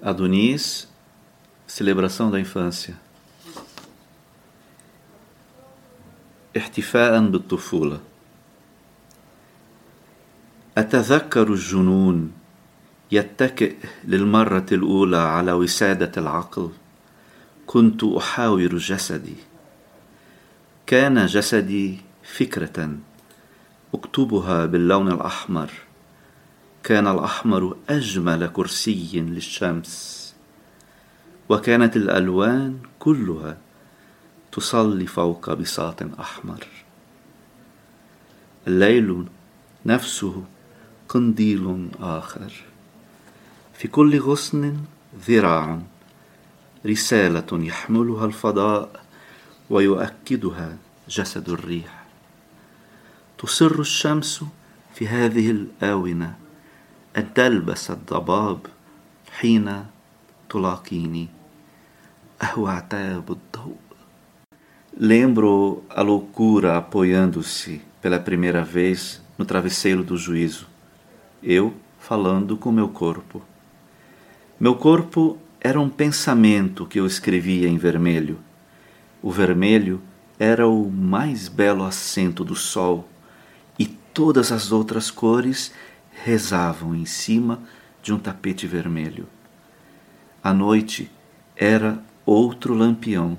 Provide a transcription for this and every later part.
Adonis, celebração da infância. احتفاء بالطفولة. أتذكر الجنون يتكئ للمرة الأولى على وسادة العقل. كنت أحاور جسدي. كان جسدي فكرة أكتبها باللون الأحمر. كان الأحمر أجمل كرسي للشمس، وكانت الألوان كلها تصلي فوق بساط أحمر. الليل نفسه قنديل آخر، في كل غصن ذراع، رسالة يحملها الفضاء ويؤكدها جسد الريح. تصر الشمس في هذه الآونة أن تلبس الضباب حين تلاقيني. أهو عتاب الضوء. Lembro a loucura apoiando-se pela primeira vez no travesseiro do juízo. Eu falando com meu corpo. Meu corpo era um pensamento que eu escrevia em vermelho. O vermelho era o mais belo acento do sol, e todas as outras cores rezavam em cima de um tapete vermelho. A noite era outro lampião.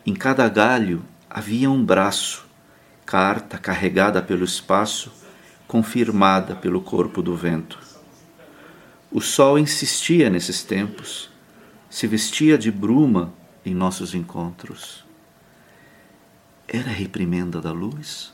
Em cada galho havia um braço, carta carregada pelo espaço, confirmada pelo corpo do vento. O sol insistia nesses tempos, se vestia de bruma em nossos encontros. Era a reprimenda da luz?